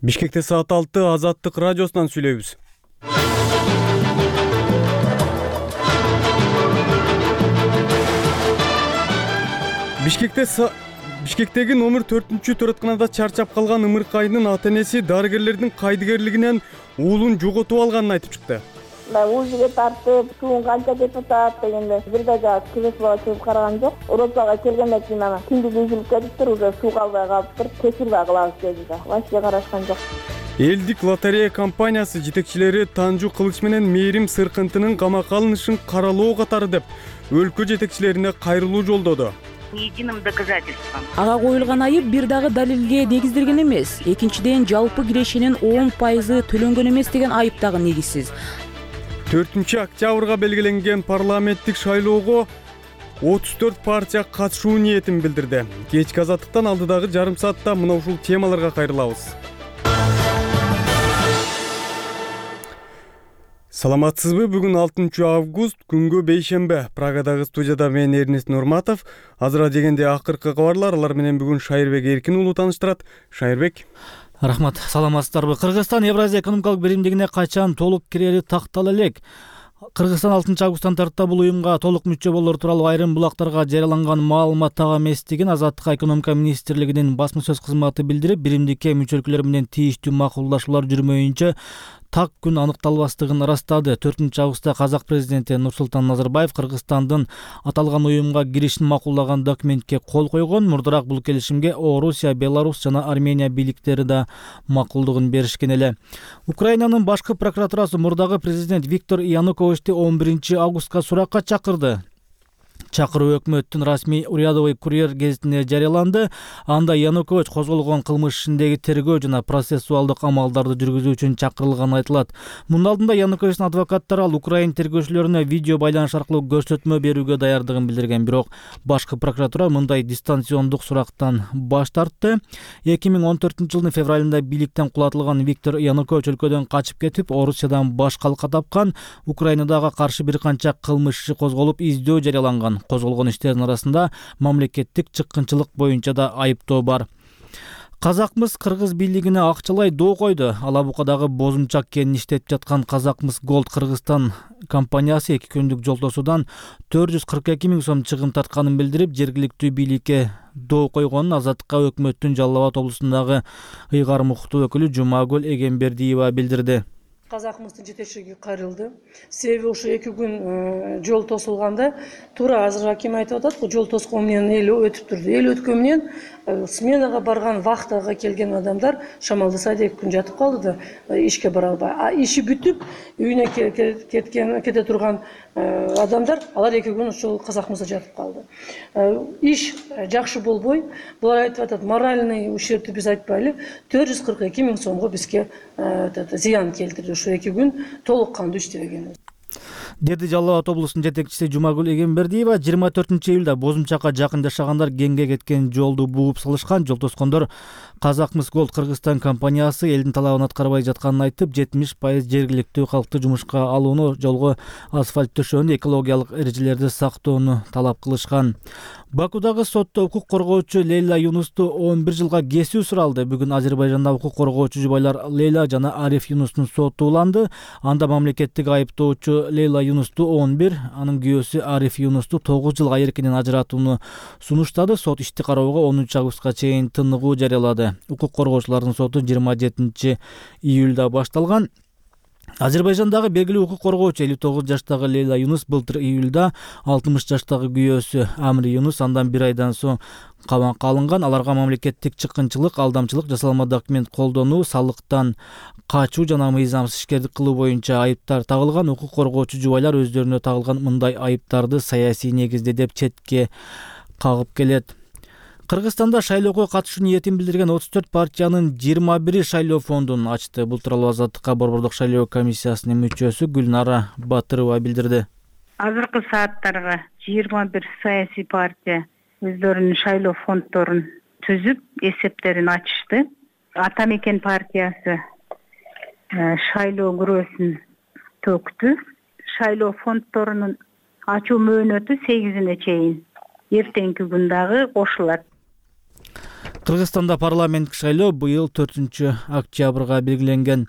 Бишкекте саат 6 Азаттык радиосунан сүйлөйбүз. Бишкектеги номер 4-төрөтканада чарчап калган ымыркайдын ата-энеси дарыгерлердин кайдыгерлигинен уулун жоготуп алганын айтып чыкты. Ужиге тартып, суун канча депутат дегенде бир да кирес бала чыгып караган жок. Уротага келгенде кийин анан киндик үзүлүп кетиптир, уже суу калбай калыптыр. Кесир да кылабыз деди да. Вообще карашкан жок. Элдик лотерея компаниясы жетекчилери Танжу Кылыч менен Мээрим Сыркынтынын камакка алынышын каралоо катары деп өлкө жетекчилерине кайрылуу жолдоду. Единым доказательством. Ага коюлган айып бир дагы далилге негизделген эмес. Экинчиден, жалпы кирешинин 10% төлөнгөн эмес деген айып дагы негизсиз. 4-октябрга белгиленген парламенттик шайлоого 34 партия катышуу ниетин билдирди. Кечки Азаттыктан алдыдагы жарым саатта мына ушул темаларга кайрылабыз. Саламатсызбы? Бүгүн 6 август, күнгө бейшембе. Прагадагы студияда мен Эрнест Нурматов. Азыр дегенде акыркы кабарлар, алар менен бүгүн Шайырбек Эркин уулу тааныштырат. Шайырбек. Рахмат, саламатсыздарбы? Кыргызстан Евразия экономикалык биримдигине качан толук кирери тактала элек. Кыргызстан 6 августтан тарта бул уюмга толук мүчө болор тууралуу айрым булактарга жарыяланган маалымат так эместигин Азаттык экономика министрлигинин басма сөз кызматы билдирип, биримдикке мүчөлүклөр менен тийиштүү макулдашуулар жүрмөйүнчө так күн аныкталбастыгын ырастады. 4 августта Казак президенти Нурсултан Назарбаев Кыргызстандын аталган уюмга киришин макуллаган документке кол койгон. Мурдараак бул келишимге Орусия, Беларусь жана Армения бийликтери да макулдугун беришкен эле. Украинанын башкы прокуратурасы мурдагы президент Виктор Януковичти 11 августка суракка чакырды. Чакыруу өкмөттүн расмий Урядовый курьер гезитине жарыяланды. Анда Янукович козголгон кылмыш ишиндеги тергөө жана процессуалдык амалдарды жүргүзүү үчүн чакырылганы айтылат. Мунун алдында Януковичтин адвокаттары ал Украин тергөөчүлөрүнө видео байланыш аркылуу көрсөтмө берүүгө даярдыгын билдирген, бирок башкы прокуратура мындай дистанциондук сурактан баш тартты. 2014 жылдын февралында бийликтен кулатылган Виктор Янукович өлкөдөн качып кетип, Орусиядан баш калка тапкан. Украинадага каршы бир канча кылмыш иши козголуп, издөө жарыяланган. Козголгон иштердин арасында мамлекеттик чыккынчылык боюнча да айыптоо бар. Казакмыс кыргыз бийлигине акчалай доо койду. Алабукадагы Бозумчак кенин иштетип жаткан Казакмыс Голд Кыргызстан компаниясы 2 күндүк жол тосуудан 442 000 сом чыгым тартканын билдирип, жергиликтүү бийликке доо койгонун Азаттыкка өкмөттүн Жалал Абад облусундагы ыйгар муктуу өкүлү Жумагүл Эгембердиева билдирди. Казакмыстын жетекчилиги кайрылды. Себеби ушу 2 күн жол тосулганда туура азыр аким айтып атат, жол тоскон менен эл өтүп турду. Эл өткөн менен сменага барган, вахтага келген адамдар шамалдаса 2 күн жатып калды да, ишке бара албай. Иши бүтүп, үйүнө кете турган адамдар, алар 2 күн ушул Казакмыста жатып калды. Иш жакшы болбой, булар айтып атат, моральный ущербти биз айтпайлы, 442 000 сомго бизге зыян келтирди. Ушу 2 күн толук кандуу иштебеген. Деди Жалал Абад облусунун жетекчиси Жумагүл Эгембердиева. 24 июлда Бозумчакка жакын жашагандар кеңге кеткен жолду бууп салышкан. Жол тоскондор Казакмыс Голд Кыргызстан компаниясы элдин талабын аткарбай жатканын айтып, 70% жергиликтүү калкты жумушка алууну, жолго асфальт төшөөнү, экологиялык эрежелерди сактоону талап кылышкан. Бакудагы сотто укук коргоочу Лейла Юнусту 11 жылга кесүү суралды. Бүгүн Азербайжанда укук коргоочу жубайлар Лейла жана Ариф Юнустун соту уланды. Анда мамлекеттик айыптоочу Лейла Юнусту 11, анын күйөөсү Ариф Юнусту 9 жылга эркинен ажыратууну сунуштады. Сот ишти кароого 10 августка чейин тыныгуу жарыялады. Укук коргоочулардын соту 27 июлда башталган. Азербайжандагы белгилүү укук коргоочу 59 жаштагы Лейла Юнус былтыр июлда 60 жаштагы күйөөсү Амри Юнус андан 1 айдан соң камакка алынган. Аларга мамлекеттик чыккынчылык, алдамчылык, жасалма документ колдонуу, салыктан качуу жана мыйзамсыз ишкердик кылуу боюнча айыптар тагылган. Укук коргоочу жубайлар өздөрүнө тагылган мындай айыптарды саясий негизде деп четке кагып келет. Кыргызстанда шайлоого катышуу ниетин билдирген 34 партиянын 21 шайлоо фондун ачты. Бул тууралуу Азаттыкка Борбордук шайлоо комиссиясынын мүчөсү Гүлнара Батырова билдирди. Азыркы сааттарга 21 саясий партия өздөрүнүн шайлоо фонддорун түзүп, эсептерин ачышты. Ата Мекен партиясы шайлоо күрөөсүн төктү. Шайлоо фонддорунун ачуу мөөнөтү 8-ине чейин эртеңки күн дагы кошулат. Кыргызстанда парламенттик шайлоо быйыл 4-октябрга белгиленген.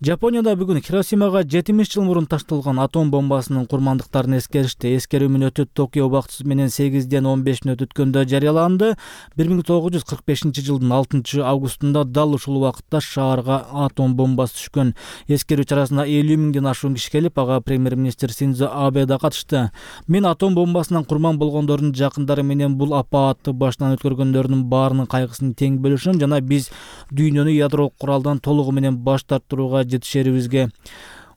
Жапонияда бүгүн Хиросимага 70 жыл мурун ташталган атом бомбасынын курмандыктарын эскеришти. Эскерүү мүнөтү Токио убактысы менен 8-ден 15 мүнөт өткөндө жарыяланды. 1945 жылдын 6 августунда дал ушул убакытта шаарга атом бомбасы түшкөн. Эскерүү чарасына 50 миңден ашуун киши келип, ага премьер-министр Синдзо Абе да катышты. Мен атом бомбасынан курман болгондордун жакындары менен бул апаатты башынан өткөргөндөрдүн баарынын кайгысын тең бөлүшөм жана биз дүйнөнү ядролук куралдан толугу менен баш тартууга жетишерибизге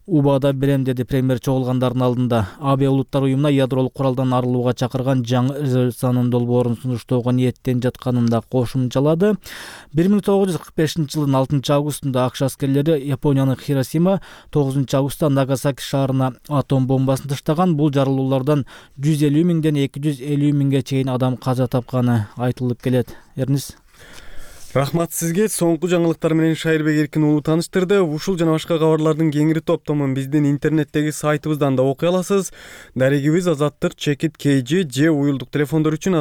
убада берем, деди премьер чогулгандардын алдында. Абе улуттар уюмуна ядролук куралдан арылууга чакырган жаңы резолюциянын долбоорун сунуштоого ниеттенип жатканын да кошумчалады. 1945 жылдын 6 августунда АКШ аскерлери Япониянын Хиросима, 9 августта Нагасаки шаарына атом бомбасын таштаган. Бул жарылуулардан 150 миңден 250 миңге чейин адам каза тапканы айтылып келет. Эрнис. Рахмат сизге. Соңку жаңылыктар менен Шайырбек Эркин уулу тааныштырды. Ушул жана башка кабарлардын кеңири топтомун биздин интернеттеги сайтыбыздан да окуй аласыз. Дарегибиз #KG же уюлдук телефондор үчүн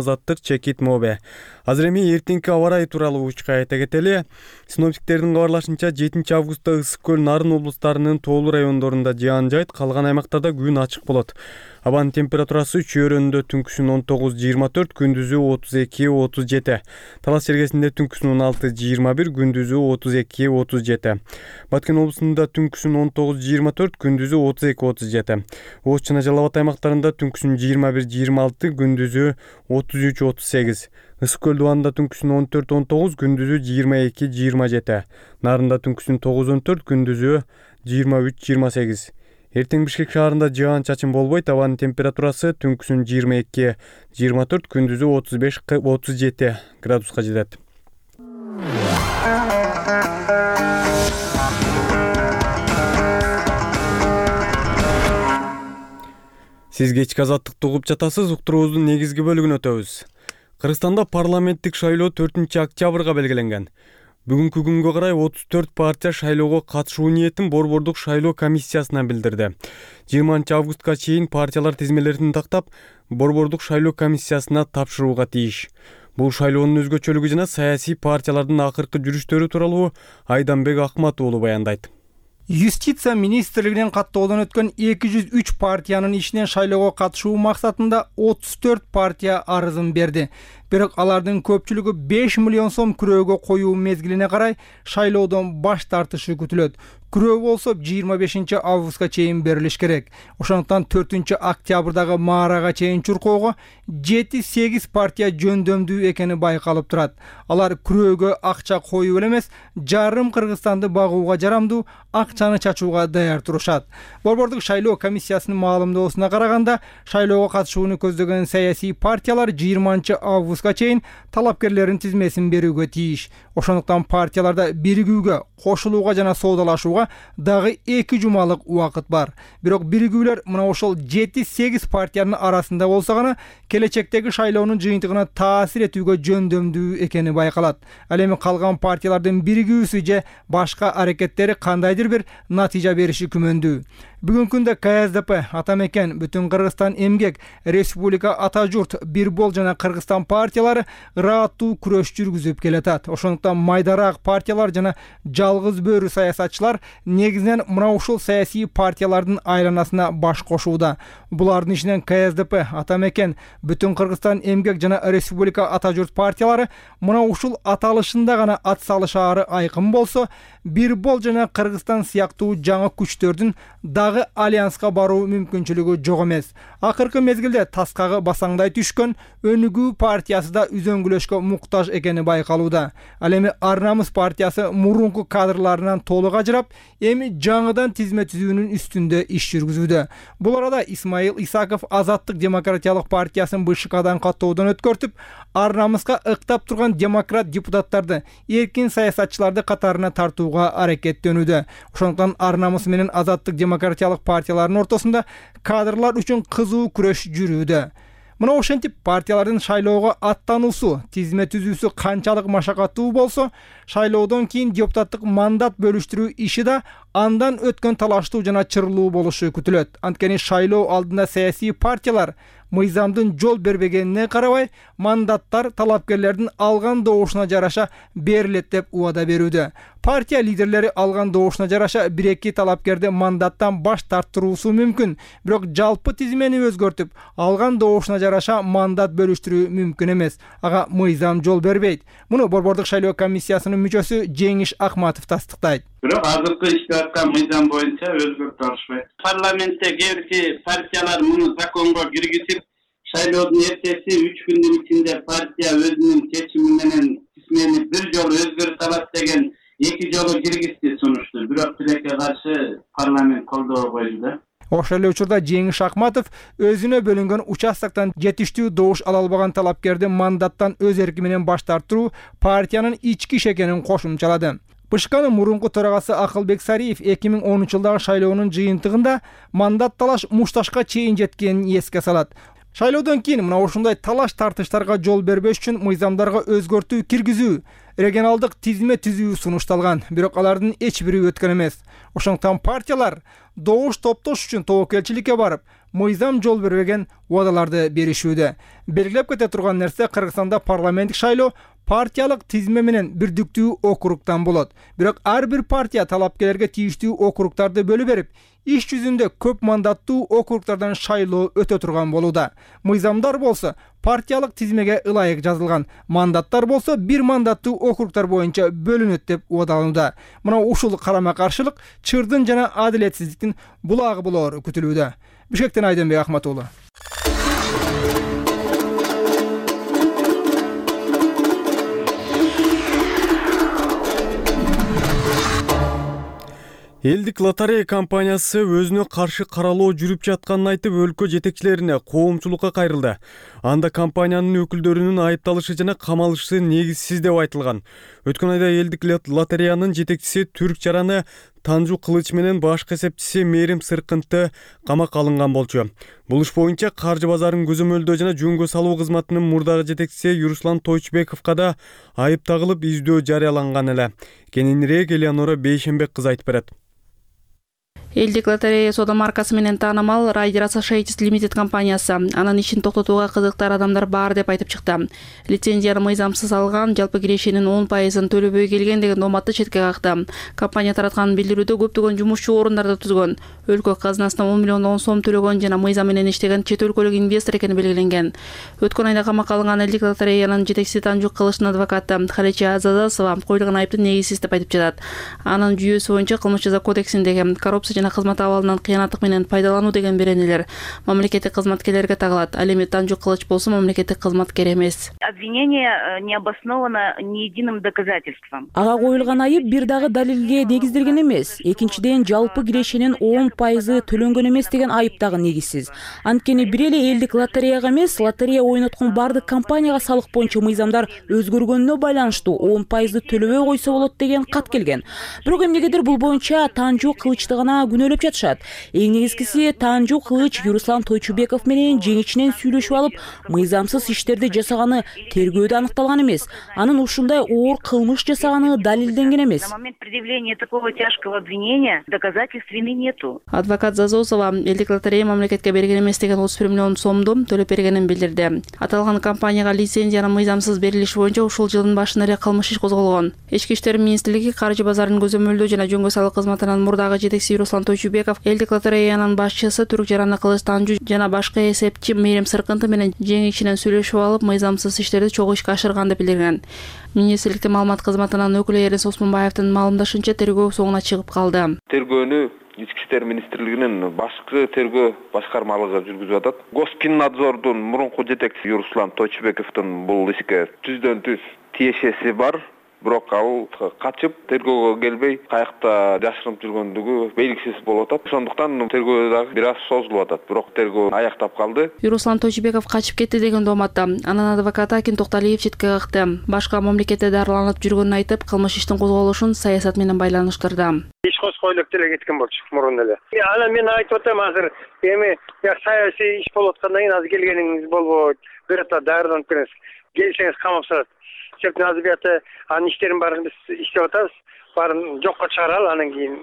#Mobe. Азыр эми эртеңки аба ырайы тууралуу учка айта кетели. Синоптиктердин кабарлашынча 7 августта Ысык көл, Нарын облустарынын тоолуу райондорунда жаан жайт, калган аймактарда күн ачык болот. Абанын температурасы чөйрөнүндө түнкүсүн 19-24, күндүзү 32-37. Талас чергесинде түнкүсүн 16-21, күндүзү 32-37. Баткен облусунда түнкүсүн 19-24, күндүзү 32-37. Ош жана Жалал Абад аймактарында түнкүсүн 21-26, күндүзү 33-38. Ысык көл дубанында түнкүсүн 14-19, күндүзү 22-27. Нарында түнкүсүн 9-14, күндүзү 23-28. Эртең Бишкек шаарында жаан чачын болбойт. Абанын температурасы түнкүсүн 22-24, күндүзү 35-37 градуска жетет. Сиз кечки азаттыкты угуп жатасыз. Уктуруубуздун негизги бөлүгүнө өтөбүз. Кыргызстанда парламенттик шайлоо 4-октябрга белгиленген. Бүгүнкү күнгө карай 34 партия шайлоого катышуу ниетин Борбордук шайлоо комиссиясына билдирди. 20 августка чейин партиялар тизмелерин тактап, Борбордук шайлоо комиссиясына тапшырууга тийиш. Бул шайлоонун өзгөчөлүгү жана саясий партиялардын акыркы жүрүштөрү тууралуу Айданбек Акмат уулу баяндайт. Юстиция министрлигинин каттоодон өткөн 203 партиянын ичинен шайлоого катышуу максатында 34 партия арызын берди. Бирок алардын көпчүлүгү 5 миллион сом күрөөгө коюу мезгилине карай шайлоодон баш тартышы күтүлөт. Күрөө болсо 25 августка чейин берилиш керек. Ошондуктан 4 октябрдагы маарага чейин чуркоого 7-8 партия жөндөмдүү экени байкалып турат. Алар күрөөгө акча коюу эле эмес, жарым Кыргызстанды багууга жарамдуу акчаны чачууга даяр турушат. Борбордук шайлоо комиссиясынын маалымдоосуна караганда, шайлоого катышууну көздөгөн саясий партиялар 20 августка чейин талапкерлердин тизмесин берүүгө тийиш. Ошондуктан партияларда биригүүгө, кошулууга жана соодалашууга дагы 2 жумалык убакыт бар. Бирок биригүүлөр мына ошол 7-8 партиянын арасында болсо гана келечектеги шайлоонун жыйынтыгына таасир этүүгө жөндөмдүү экени байкалат. Ал эми калган партиялардын биригүүсү же башка аракеттери кандайдыр бир натыйжа бериши күмөндүү. Бүгүнкү күндө КСДП, Атамекен, Бүтүн Кыргызстан эмгек, Республика Ата журт, Бир бол жана Кыргызстан партиялары ырааттуу күрөш жүргүзүп келатат. Ошондуктан майдараак партиялар жана жалгыз бөрү саясатчылар негизинен мына ушул саясий партиялардын айланасына баш кошууда. Булардын ичинен КСДП, Атамекен, Бүтүн Кыргызстан эмгек жана Республика Ата журт партиялары мына ушул аталышында гана ат салышаары айкын болсо, Бир бол жана Кыргызстан сыяктуу жаңы күчтөрдүн дагы альянска баруу мүмкүнчүлүгү жок эмес. Акыркы мезгилде таскагы басаңдай түшкөн Өнүгүү партиясы да үзөңгүлөшкө муктаж экени байкалууда. Ал эми Ар Намыс партиясы мурунку кадрларынан толук ажырап, эми жаңыдан тизме түзүүнүн үстүндө иш жүргүзүүдө. Бул арада Исмаил Исаков Азаттык демократиялык партиясын БШКдан каттоодон өткөртүп, Ар Намыска ыктап турган демократ депутаттарды, эркин саясатчыларды катарына тартууга аракеттенүүдө. Ошондуктан Ар Намыс менен Азаттык демократиялык партиялардын ортосунда кадрлар үчүн кызуу күрөш жүрүүдө. Мына ошентип партиялардын шайлоого аттануусу, тизме түзүүсү канчалык машакаттуу болсо, шайлоодон кийин депутаттык мандат бөлүштүрүү иши да андан өткөн талаштуу жана чырлуу болушу күтүлөт. Анткени шайлоо алдында саясий партиялар мыйзамдын жол бербегенине карабай мандаттар талапкерлердин алган добушуна жараша берилет деп убада берүүдө. Партия лидерлери алган добушуна жараша 1-2 талапкерди мандаттан баш тарттыруусу мүмкүн, бирок жалпы тизмени өзгөртүп, алган добушуна жараша мандат бөлүштүрүү мүмкүн эмес. Ага мыйзам жол бербейт. Муну Борбордук шайлоо комиссиясынын мүчөсү Жеңиш Акматов тастыктайт. Бирок азыркы иштеп аткан мыйзам боюнча өзгөртүп алышпайт. Парламентте кээ бир партиялар муну законго киргизип, шайлоодун эртеси 3 күндүн ичинде партия өзүнүн чечими менен тизмени бир жолу өзгөртүп алат деген 2 жолу киргизди сунушту. Бирок тилекке каршы парламент колдобой койду да. Ошол эле учурда Жеңиш Акматов өзүнө бөлүнгөн участоктон жетиштүү добуш ала албаган талапкерди мандаттан өз эрки менен баш тартыруу партиянын ички иш экенин кошумчалады. БШКнын мурунку төрагасы Акылбек Сариев 2010-жылдагы шайлоонун жыйынтыгында мандат талаш мушташка чейин жеткенин эске салат. Шайлоодон кийин мына ушундай талаш тартыштарга жол бербеш үчүн мыйзамдарга өзгөртүү киргизүү, регионалдык тизме түзүү сунушталган, бирок алардын эч бири өткөн эмес. Ошондуктан партиялар добуш топтош үчүн тобокелчиликке барып, мыйзам жол бербеген убадаларды беришүүдө. Белгилеп кете турган нерсе, Кыргызстанда парламенттик шайлоо партиялык тизме менен бирдиктүү округтан болот. Бирок ар бир партия талапкерлерге тийиштүү округтарды бөлүп берип, иш жүзүндө көп мандаттуу округтардан шайлоо өтө турган болууда. Мыйзамдар болсо партиялык тизмеге ылайык жазылган, мандаттар болсо бир мандаттуу округтар боюнча бөлүнөт деп убадаланууда. Мына ушул карама-каршылык чырдын жана адилетсиздиктин булагы болоор күтүлүүдө. Бишкектен Айденбек Ахмат уулу. Элдик лотерея компаниясы өзүнө каршы каралоо жүрүп жатканын айтып, өлкө жетекчилерине коомчулукка кайрылды. Анда компаниянын өкүлдөрүнүн айыпталышы жана камалышы негизсиз деп айтылган. Өткөн айда элдик лотереянын жетекчиси Түрк жараны Танжу Кылыч менен башкы эсепчиси Мээрим Сыркынты камакка алынган болчу. Бул иш боюнча каржы базарын көзөмөлдөө жана жөнгө салуу кызматынын мурдагы жетекчиси Юруслан Тойчубековго да айып тагылып, издөө жарыяланган эле. Кененирээк Элеонора Бейшенбек кызы айтып берет. Элдик лотерея соода маркасы менен таанымал Rider Associates Limited компаниясы анын ишин токтотууга кызыктар адамдар бар деп айтып чыкты. Лицензияны мыйзамсыз алган, жалпы кирешинин 10%-ын төлөбөй келген деген дооматты четке какты. Компания тараткан билдирүүдө көптөгөн жумушчу орундарды түзгөн, өлкө казынасына 10 миллион сом төлөгөн жана мыйзам менен иштеген чет өлкөлүк инвестор экени белгиленген. Өткөн айда камакка алынган элдик лотереянын жетекчиси Танжу Кылычтын адвокаты Халича Азазасова коюлган айыптын негизсиз деп айтып жатат. Анын жүйөсү боюнча кылмыш жаза кодексиндеги коррупция жана кызмат абалынан кыянаттык менен пайдалануу деген беренелер мамлекеттик кызматкерлерге тагылат. Ал эми Танжу Кылыч болсо мамлекеттик кызматкер эмес. Обвинение не обосновано ни единым доказательством. Ага коюлган айып бир дагы далилге негизделген эмес. Экинчиден, жалпы кирешинин 10% төлөнгөн эмес деген айып дагы негизсиз. Анткени бир эле элдик лотереяга эмес, лотерея ойноткон бардык компанияга салык боюнча мыйзамдар өзгөргөнүнө байланыштуу 10% төлөбөй койсо болот деген кат келген. Бирок эмнегедир бул боюнча Танжу Кылычты гана күнөөлөп жатышат. Эң негизгиси, Танжу Кылыч Юруслан Тойчубеков менен жеңичинен сүйлөшүп алып, мыйзамсыз иштерди жасаганы тергөөдө аныкталган эмес. Анын ушундай оор кылмыш жасаганы далилденген эмес. На момент предъявления такого тяжкого обвинения доказательств вины нету. Адвокат Зазосова элдик лотерея мамлекетке берген эмес деген 31 миллион сомду төлөп бергенин билдирди. Аталган компанияга лицензиянын мыйзамсыз берилиши боюнча ушул жылдын башында эле кылмыш иш козголгон. Ички иштер министрлиги каржы базарын көзөмөлдөө жана жөнгө салуу кызматынын мурдагы жетекчиси Руслан Тойчубеков элдик лотереянын башчысы Түрк жараны Кылыч Танжу жана башкы эсепчи Мээрим Сыркынты менен жеңичинен сүйлөшүп алып, мыйзамсыз иштерди чогуу ишке ашырган деп билдирген. Министрликтин маалымат кызматынын өкүлү Эрис Осмонбаевдин маалымдашынча тергөө соңуна чыгып калды. Тергөөнү Ички иштер министрлигинин башкы тергөө башкармалыгы жүргүзүп атат. Госкиннадзордун мурунку жетекчиси Юруслан Тойчубековдун бул ишке түздөн түз тиешеси бар. Бирок ал качып, тергөөгө келбей, каякта жашырынып жүргөндүгү белгисиз болуп атат. Ошондуктан тергөө дагы бир аз созулуп атат. Бирок тергөө аяктап калды. Юруслан Тойчубеков качып кетти деген дооматта. Анын адвокаты Акин Токталиев четке какты. Башка мамлекетте дарыланып жүргөнүн айтып, кылмыш иштин козголушун саясат менен байланыштырды. Иш козгойлуп деле кеткен болчу мурун эле. Анан мен айтып атам азыр эми саясий иш болуп аткандан кийин азыр келгениңиз болбойт. Бир атта дарыланып келиңиз. Келсеңиз камап салат. Чөптүн азбияты анын иштерин баарын биз иштеп атабыз. Баарын жокко чыгаралы, анан кийин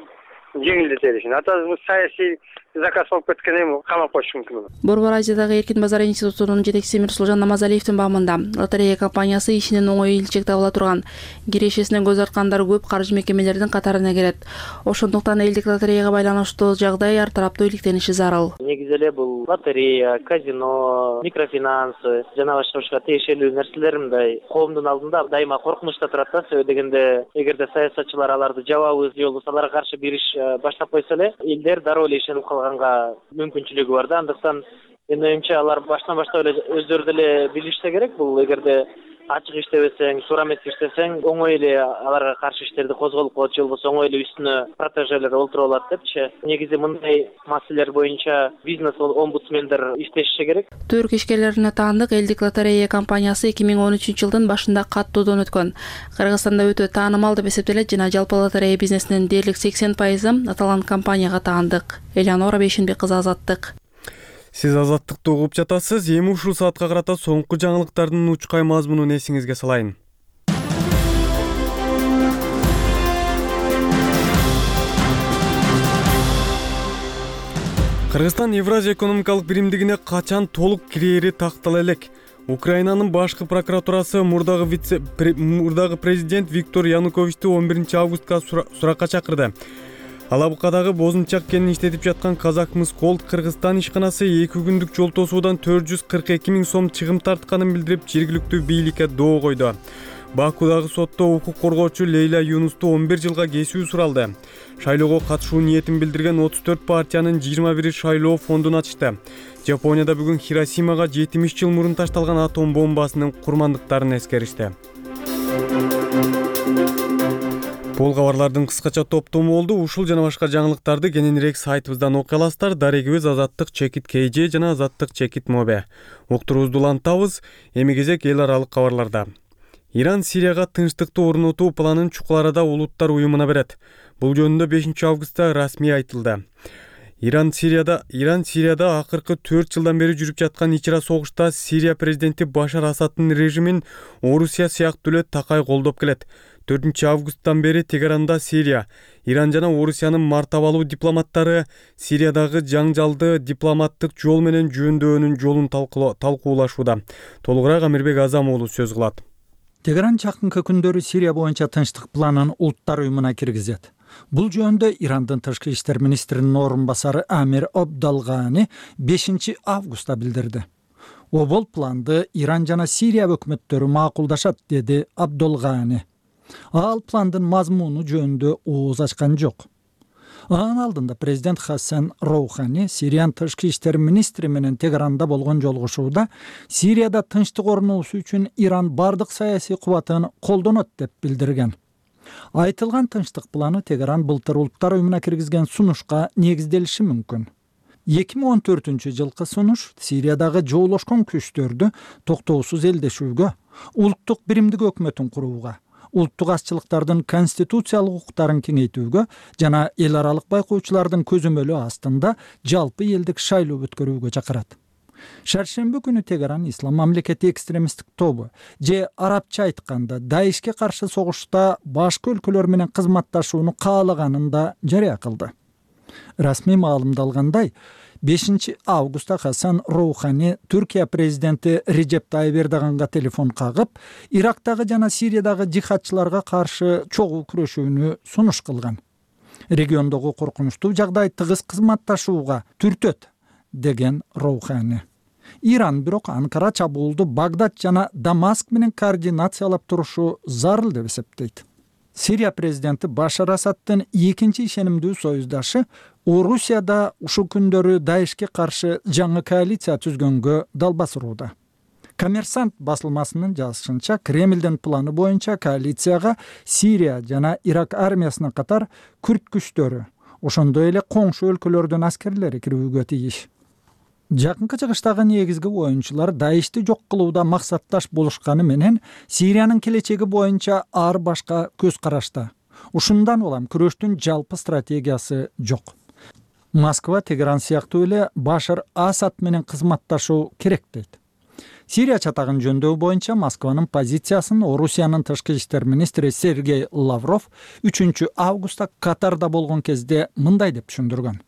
жеңилдетели. Атабыз саясий заказ болуп кеткен эми камап коюшу мүмкүн. Борбор Азиядагы эркин базар институтунун жетекчиси Мирсулжан Намазалиевдин баамында лотерея компаниясы ишинен оңой илчек табыла турган, кирешесинен көз арткандар көп каржы мекемелердин катарына кирет. Ошондуктан элдик лотереяга байланыштуу жагдай ар тараптуу иликтениши зарыл. Негизи эле бул лотерея, казино, микрофинанс жана башка тиешелүү нерселер мындай коомдун алдында дайыма коркунучта турат да. Себеби дегенде эгерде саясатчылар аларды жабабыз же болбосо аларга каршы бир иш баштап койсо эле элдер дароо эле ишенип калганга мүмкүнчүлүгү бар да. Андыктан менин оюмча алар баштан баштап эле өздөрү деле билишсе керек. Бул эгерде ачык иштебесең, туура эмес иштесең, оңой эле аларга каршы иштерди козголуп коет же болбосо оңой эле үстүнө протежелер олтуруп алат депчи. Негизи мындай маселелер боюнча бизнес омбудсмендер иштеши керек. Түрк ишкерлерине таандык элдик лотерея компаниясы 2013-жылдын башында каттоодон өткөн. Кыргызстанда өтө таанымал деп эсептелет жана жалпы лотерея бизнесинин дээрлик 80% аталган компанияга таандык. Элеонора Бейшенбек кызы, Азаттык. Сиз Азаттыкты угуп жатасыз. Эми ушул саатка карата соңку жаңылыктардын учкай мазмунун эсиңизге салайын. Кыргызстан Евразия экономикалык биримдигине качан толук кирери тактала элек. Украинанын башкы прокуратурасы мурдагы президент Виктор Януковичти 11-августка суракка чакырды. Алабукадагы бозунчак кенин иштетип жаткан Казакмыс Голд Кыргызстан ишканасы 2 күндүк жол тосуудан 442 000 сом чыгым тартканын билдирип, жергиликтүү бийликке доо койду. Бакудагы сотто укук коргоочу Лейла Юнусту 11 жылга кесүү суралды. Шайлоого катышуу ниетин билдирген 34 партиянын 21 шайлоо фондун ачышты. Жапонияда бүгүн Хиросимага 70 жыл мурун ташталган атом бомбасынын курмандыктарын эскеришти. Бул кабарлардын кыскача топтому болду. Ушул жана башка жаңылыктарды кененирээк сайтыбыздан окуй аласыздар. Дарегибиз Азаттык чекит KG жана Азаттык чекит Mobe. Уктуруубузду улантабыз. Эми кезек эл аралык кабарларда. Иран Сирияга тынчтыкты орнотуу планын Чукул Арада улуттар уюмуна берет. Бул жөнүндө 5-августта расмий айтылды. Иран Сирияда акыркы 4 жылдан бери жүрүп жаткан ичра согушта Сирия президенти Башар Асаддын режимин Орусия сыяктуу эле такай колдоп келет. 4-августтан бери Тегеранда Сирия, Иран жана Орусиянын мартабалуу дипломаттары Сириядагы жаңжалды дипломаттык жол менен жөндөөнүн жолун талкуулашууда. Толугураак Амирбек Азам уулу сөз кылат. Тегеран жакынкы күндөрү Сирия боюнча тынчтык планын улуттар уюмуна киргизет. Бул жөнүндө Ирандын тышкы иштер министринин орун басары Амир Абдалгани 5-августта билдирди. Бул планды Иран жана Сирия өкмөттөрү макулдашат, деди Абдалгани. Ал пландын мазмуну жөнүндө ооз ачкан жок. Анын алдында президент Хасан Роухани Сириянын тышкы иштер министри менен Тегеранда болгон жолугушууда Сирияда тынчтык орнотуу үчүн Иран бардык саясий кубатын колдонот деп билдирген. Айтылган тынчтык планы Тегеран былтыр улуттар уюмуна киргизген сунушка негизделиши мүмкүн. 2014-жылкы сунуш Сириядагы жоолошкон күчтөрдү токтоосуз элдешүүгө, улуттук биримдик өкмөтүн курууга, улуттук азчылыктардын конституциялык укуктарын кеңейтүүгө жана эл аралык байкоочулардын көзөмөлү астында жалпы элдик шайлоо өткөрүүгө чакырат. Шаршемби күнү Тегеран Ислам мамлекети экстремисттик тобу же арабча айтканда Даишке каршы согушта башка өлкөлөр менен кызматташууну каалаганын да жарыя кылды. Расмий маалымдалгандай, 5-августта Хасан Роухани Түркия президенти Режеп Тайып Эрдоганга телефон кагып, Ирактагы жана Сириядагы жихадчыларга каршы чогуу күрөшүүнү сунуш кылган. Региондогу коркунучтуу жагдай тыгыз кызматташууга түртөт, деген Роухани. Иран бирок Анкара чабуулду Багдад жана Дамаск менен координациялап турушу зарыл деп эсептейт. Сирия президенти Башар Асаддын экинчи ишенимдүү союздашы Орусияда ушул күндөрү Даишке каршы жаңы коалиция түзгөнгө дал басууда. Коммерсант басылмасынын жазышынча, Кремлдин планы боюнча коалицияга Сирия жана Ирак армиясына катар күрд күчтөрү, ошондой эле коңшу өлкөлөрдүн аскерлери кирүүгө тийиш. Жакынкы чыгыштагы негизги оюнчулар Даишти жок кылууда максатташ болушканы менен Сириянын келечеги боюнча ар башка көз карашта. Ушундан улам күрөштүн жалпы стратегиясы жок. Москва Тегеран сыяктуу эле Башар Асад менен кызматташуу керек дейт. Сирия чатагын жөндөүү боюнча Москванын позициясын Орусиянын тышкы иштер министри Сергей Лавров 3-августта Катарда болгон кезде мындай деп түшүндүргөн.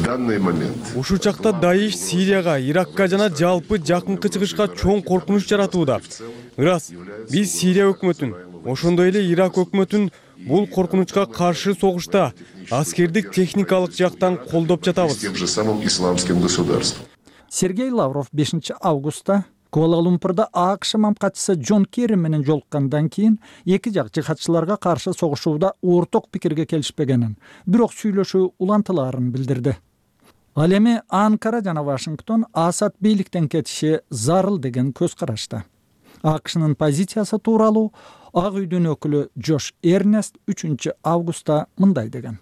данный момент Ушул чакта Даиш Сирияга, Иракка жана жалпы жакынкы чыгышка чоң коркунуч жаратууда. Ырас, биз Сирия өкмөтүн, ошондой эле Ирак өкмөтүн бул коркунучка каршы согушта аскердик техникалык жактан колдоп жатабыз. тем же самым исламским государством. Сергей Лавров 5 августта Куала-Лумпурда АКШ мамкатчысы Джон Керри менен жолуккандан кийин эки жак жихадчыларга каршы согушууда орток пикирге келишпегенин, бирок сүйлөшүү улантылаарын билдирди. Ал эми Анкара жана Вашингтон Асад бийликтен кетиши зарыл деген көз карашта. АКШнын позициясы тууралуу Ак үйдүн өкүлү Джош Эрнест 3 августта мындай деген.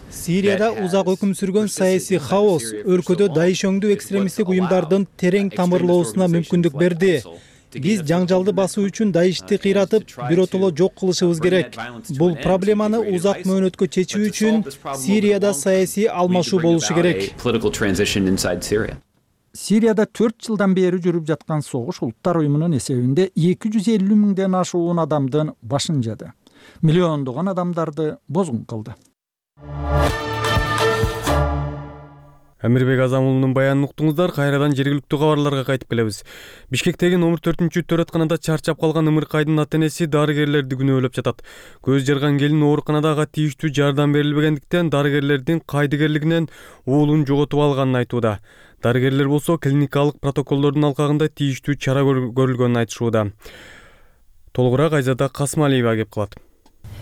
Сирияда узак өкүм сүргөн саясий хаос өлкөдө Даиш өңдүү экстремисттик уюмдардын терең тамырлоосуна мүмкүндүк берди. Биз жаңжалды басуу үчүн Даишти кыйратып, биротоло жок кылышыбыз керек. Бул проблеманы узак мөөнөткө чечүү үчүн Сирияда саясий алмашуу болушу керек. Сирияда 4 жылдан бери жүрүп жаткан согуш Улуттар уюмунун эсебинде 250 миңден ашуун адамдын башын жады. Миллиондогон адамдарды бозгун кылды. Амирбек Азамулунун баянын уктуңуздар. Кайрадан жергиликтүү кабарларга кайтып келебиз. Бишкектеги номер 4-төрөтканада чарчап калган Ымыркайдын ата-энеси дарыгерлерди күнөөлөп жатат. Көз жарган келин ооруканада ага тийиштүү жардам берилбегендиктен дарыгерлердин кайдыгерлигинен уулун жоготуп алганын айтууда. Дарыгерлер болсо клиникалык протоколдордун алкагында тийиштүү чара көрүлгөнүн айтышууда. Толугураак Айзада Касмалиева кеп калат.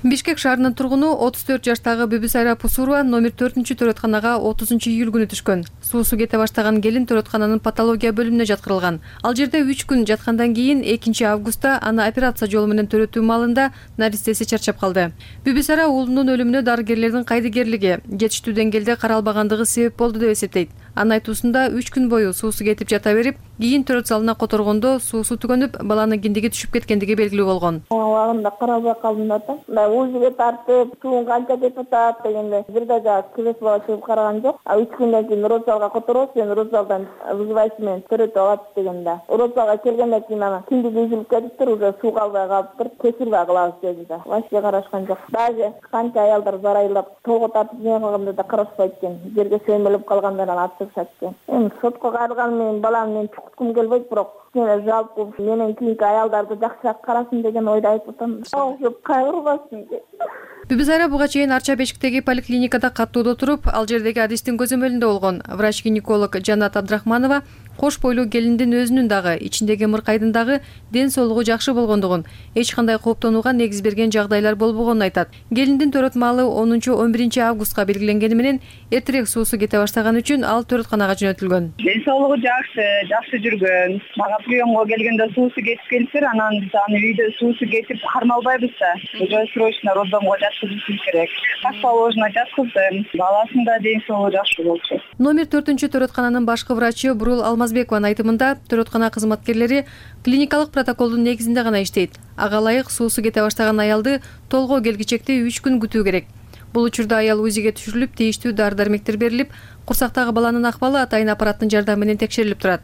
Бишкек шаарынын тургуну 34 жаштагы Бүбүсайра Пусурова номер 4-төрөтканага 30 июль күнү түшкөн. Суусу кете баштаган келин төрөткананын патология бөлүмүнө жаткырылган. Ал жерде 3 күн жаткандан кийин 2 августта аны операция жолу менен төрөтүү маалында наристеси чарчап калды. Бүбүсайра уулунун өлүмүнө дарыгерлердин кайдыгерлиги жетиштүү деңгээлде каралбагандыгы себеп болду деп эсептейт. Анын айтуусунда 3 күн бою суусу кетип жата берип, кийин төрөт залына которгондо суусу түгөнүп, баланын киндиги түшүп кеткендиги белгилүү болгон. Убагында карабай калдым да. Узиге тартып, суун канча кетип атат дегенде бир да креслого чыгып караган жок. 3 күндөн кийин родзалга которобуз, сен родзалдан вызывайсың менен төрөтүп алат дегенде. Родзалга келгенден кийин ана киндиги үзүлүп кетиптир, уже суу калбай калыптыр, кесилбей кылабыз деди да. Вообще карашкан жок. Даже канча аялдар зарайлап, толго тартып жеген калганда да карашпайт экен. Жерге сөймөлүп калгандардан атышат экен. Эми сотко кайрылган менен баламды мен чукуткум келбейт, бирок жалпы менен кийинки аялдарды жакшыраак карасын деген ойду айтып атам. Ошоп кайрылбасын. Бүбүсайра буга чейин Арча Бешиктеги поликлиникада каттоодо туруп, ал жердеги адистин көзөмөлүндө болгон. Врач-гинеколог Жанат Абдрахманова кош бойлуу келиндин өзүнүн дагы, ичиндеги Ымыркайдын дагы ден соолугу жакшы болгондугун, эч кандай кооптонууга негиз берген жагдайлар болбогонун айтат. Келиндин төрөт маалы 10-11 августка белгиленгени менен эртерээк суусу кете баштаган үчүн ал төрөтканага жөнөтүлгөн. Ден соолугу жакшы жүргөн. Мага приемго келгенде суусу кетип келиптир, анан биз аны үйдө суусу кетип кармалбайбыз да. Уже срочно роддомго жаткызышыбыз керек. Так положено жаткыздым. Баласын да ден соолугу жакшы болчу. Номер 4-төрөткананын башкы врачы Бурул Алмазбекованын айтымында, төрөткана кызматкерлери клиникалык протоколдун негизинде гана иштейт. Ага ылайык суусу кете баштаган аялды толгоо келгичекте 3 күн күтүү керек. Бул учурда аял УЗИге түшүрүлүп, тийиштүү дары-дармектер берилип, курсактагы баланын акыбалы атайын аппараттын жардамы менен текшерилип турат.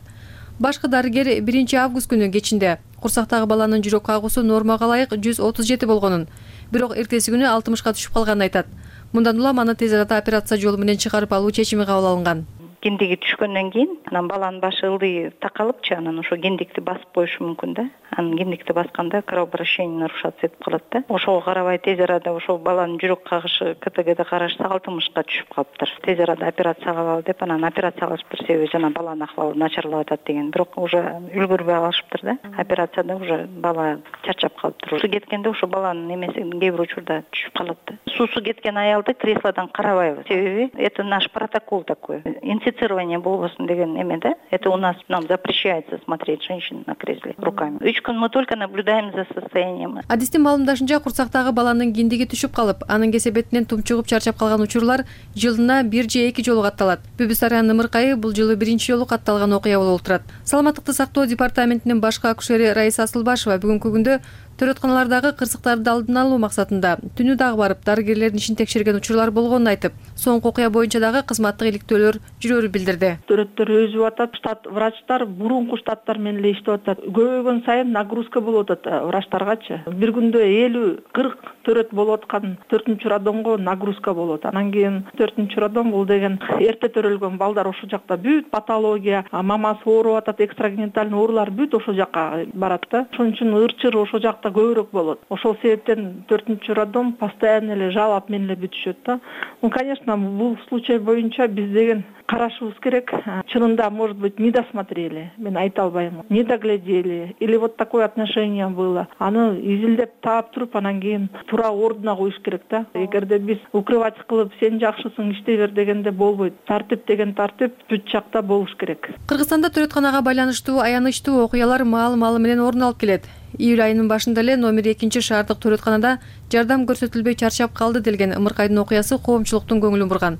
Башкы дарыгер 1 август күнү кечинде курсактагы баланын жүрөк кагуусу нормага ылайык 137 болгонун, бирок эртеси күнү 60га түшүп калганын айтат. Мындан улам аны тез арада операция жолу менен чыгарып алуу чечими кабыл алынган. Киндиги түшкөндөн кийин анан баланын башы ылдый такалыпчы, анан ошо киндикти басып коюшу мүмкүн да. Анан киндикти басканда кровообращение нарушаться этип калат да. Ошого карабай тез арада ошо баланын жүрөк кагышы КТГде карашса 60га түшүп калыптыр. Тез арада операция кылалы деп, анан операция кылышыптыр, себеби жана баланын акыбалы начарлап атат деген. Бирок уже үлгүрбөй калышыптыр да. Операцияда уже бала чарчап калыптыр. Суусу кеткенде ошо баланын эмеси кээ бир учурда түшүп калат да. Суусу кеткен аялды креслодон карабайбыз. Себеби это наш протокол такой. Инфицирование болбосун деген эме да. Это у нас, нам запрещается смотреть женщин на кресле руками. 3 күн мы только наблюдаем за состоянием. Адистин маалымдашынча, курсактагы баланын киндиги түшүп калып, анын кесебетинен тумчугуп чарчап калган учурлар жылына 1 же 2 жолу катталат. Бүбүсайранын Ымыркайы бул жылы 1-чи жолу катталган окуя болуп турат. Саламаттыкты сактоо департаментинин башкы акушери Раиса Асылбашева бүгүнкү күндө төрөтканалардагы кырсыктарды алдын алуу максатында түнү дагы барып дарыгерлердин ишин текшерген учурлар болгонун айтып, соңку окуя боюнча дагы кызматтык иликтөөлөр жүрөөрүн билдирди. Төрөттөр өзүп атат, штат врачтар мурунку штаттар менен эле иштеп атат. Көбөйгөн сайын нагрузка болуп атат врачтаргачы. Бир күндө 50-40 төрөт болуп аткан 4-чү роддомго нагрузка болот. Анан кийин 4-чү роддом бул деген эрте төрөлгөн балдар ошол жакта бүт патология, мамасы ооруп атат, экстрагенитальный оорулар бүт ошол жакка барат да. Ошон үчүн ырчыр ошол жакта көбүрөөк болот. Ошол себептен 4-чү роддом постоянно эле жалап менен эле бүтүшөт да. Конечно, бул случай боюнча биз деген карашыбыз керек. Чынында, может быть, не досмотрели, мен айта албайм, не доглядели, или вот такое отношение было. Аны изилдеп таап туруп, анан кийин туура ордуна коюш керек да. Эгерде биз укрывать кылып, сен жакшысың, иштей бер дегенде болбойт. Тартип деген тартип бүт жакта болуш керек. Кыргызстанда төрөтканага байланыштуу аянычтуу окуялар маал менен орун алып келет. Июль айынын башында эле номер 2 шаардык төрөтканада жардам көрсөтүлбөй чарчап калды делген ымыркайдын окуясы коомчулуктун көңүлүн бурган.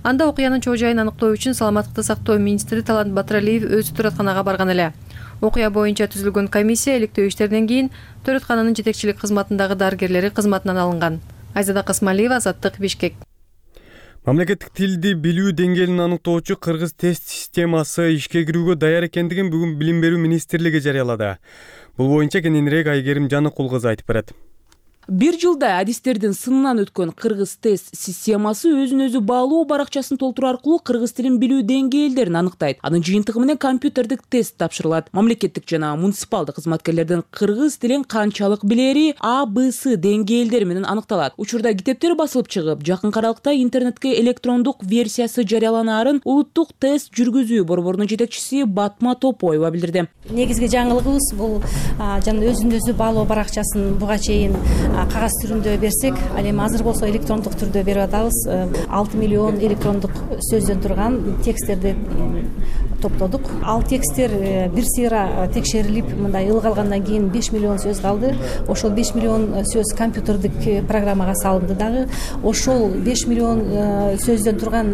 Анда окуянын чоо жайын аныктоо үчүн саламаттыкты сактоо министри Талант Батыралиев өзү төрөтканага барган эле. Окуя боюнча түзүлгөн комиссия иликтөө иштеринен кийин төрөткананын жетекчилик кызматындагы дарыгерлери кызматынан алынган. Айзада Касмалиева, Азаттык, Бишкек. Мамлекеттик тилди билүү деңгээлин аныктоочу кыргыз тест системасы ишке кирүүгө даяр экендигин бүгүн Билим берүү министрлиги жарыялады. Бул боюнча кененирээк Айгерим Жаныкул кызы айтып берет. Бир жылда адистердин сынынан өткөн кыргыз тест системасы өзүн өзү баалоо баракчасын толтуруу аркылуу кыргыз тилин билүү деңгээлдерин аныктайт. Анын жыйынтыгы менен компьютердик тест тапшырылат. Мамлекеттик жана муниципалдык кызматкерлердин кыргыз тилин канчалык билери А,Б,С деңгээлдери менен аныкталат. Учурда китептер басылып чыгып, жакын аралыкта интернетке электрондук версиясы жарыяланаарын Улуттук тест жүргүзүү борборунун жетекчиси Батма Топоева билдирди. Негизги жаңылыгыбыз бул жана өзүн өзү баалоо баракчасын буга чейин кагаз түрүндө берсек, ал эми азыр болсо электрондук түрдө берип атабыз. 6 миллион электрондук сөздөн турган тексттерди топтодук. Ал тексттер бир сыйра текшерилип, мындай ылга алгандан кийин 5 миллион сөз калды. Ошол 5 миллион сөз компьютердик программага салынды дагы. Ошол 5 миллион сөздөн турган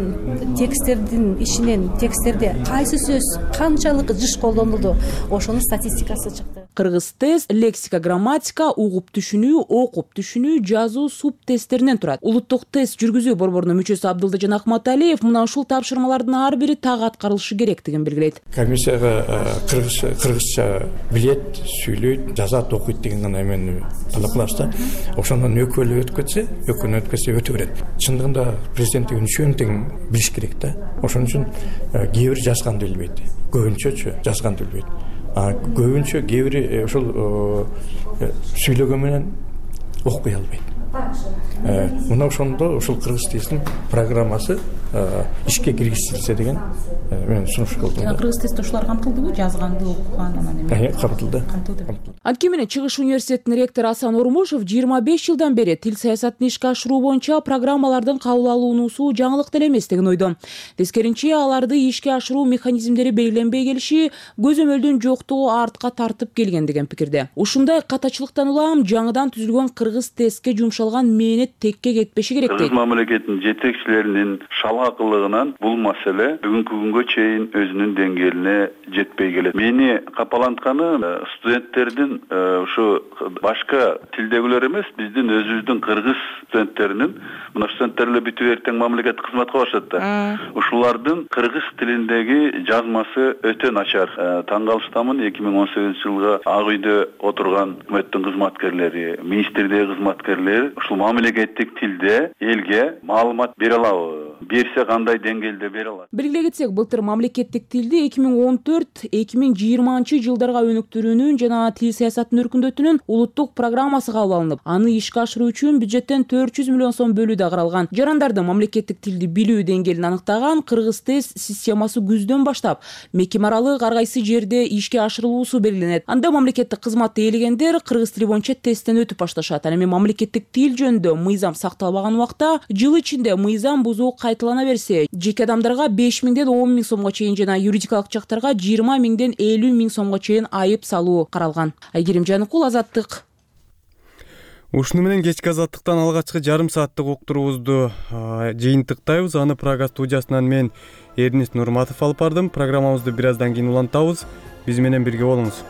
тексттердин ичинен тексттерде кайсы сөз канчалык жыш колдонулду, ошонун статистикасы чыкты. Кыргыз тест лексика, грамматика, угуп түшүнүү, окуп түшүнүү, жазуу, суп тесттеринен турат. Улуттук тест жүргүзүү борборунун мүчөсү Абдылдыжан Ахматалиев мына ушул тапшырмалардын ар бири так аткарылышы керектигин белгилейт. Комиссияга кыргызча билет, сүйлөйт, жазат, окуйт деген гана эмени талап кылабыз да. Ошондон өкөлү өткөтсө өтө берет. Чындыгында президенттик үчүн тең билиш керек да. Ошон үчүн кээ бир жазганды билбейт. Көбүнчөчү жазганды билбейт. Көбүнчө кээ бири ошол сүйлөгөн менен окуй албайт. Мына ошондо ушул кыргыз тилинин программасы ишке киргизилсе деген мен сунуш кылдым. Кыргыз тестте ушулар камтылдыбы? Жазганды, окуган анан эме? Камтылды. Анткени менен Чыгыш университетинин ректору Асан Ормушев 25 жылдан бери тил саясатын ишке ашыруу боюнча программалардын кабыл алынуусу жаңылык деле эмес деген ойдо. Тескеринче аларды ишке ашыруу механизмдери белгиленбей келиши көзөмөлдүн жоктугу артка тартып келген деген пикирде. Ушундай катачылыктан улам жаңыдан түзүлгөн кыргыз тестке жумшалган мээнет текке кетпеши керек дейт. Кыргыз мамлекетинин жетекчилеринин шалгакылыгынан бул маселе бүгүнкү күнгө чейин өзүнүн деңгээлине жетпей келет. Мени капалантканы студенттердин ушу башка тилдегилер эмес, биздин өзүбүздүн кыргыз студенттеринин, мына студенттер эле бүтүп эртең мамлекеттик кызматка барышат да. Ушулардын кыргыз тилиндеги жазмасы өтө начар. Таң калыштамын, 2018-жылга Ак үйдө отурган өкмөттүн кызматкерлери, министрдеги кызматкерлер ушул мамлекеттик тилде элге маалымат бере алабы? Берсе кандай деңгээлде бере алат? Белгилей кетсек, былтыр мамлекеттик тилди 2014-2020 жылдарга өнүктүрүүнүн жана тил саясатын өркүндөтүүнүн улуттук программасы кабыл алынып, аны ишке ашыруу үчүн бюджеттен 400 миллион сом бөлүү да каралган. Жарандардын мамлекеттик тилди билүү деңгээлин аныктаган кыргыз тест системасы күздөн баштап мекеме аралык ар кайсы жерде ишке ашырылуусу белгиленет. Анда мамлекеттик кызматты ээлегендер кыргыз тили боюнча тесттен өтүп башташат. Ал эми мамлекеттик тил жөнүндө мыйзам сакталбаган убакта жыл ичинде мыйзам бузуу кайталана берсе, жеке адамдарга 5 миңден 10 миң сомго чейин жана юридикалык жактарга 20 миңден 50 миң сомго чейин айып салуу каралган. Айгерим Жаныкул, Азаттык. Ушуну менен кечки Азаттыктан алгачкы жарым сааттык уктуруубузду жыйынтыктайбыз. Аны Прага студиясынан мен Эрнис Нурматов алып бардым. Программабызды бир аздан кийин улантабыз. Биз менен бирге болуңуз.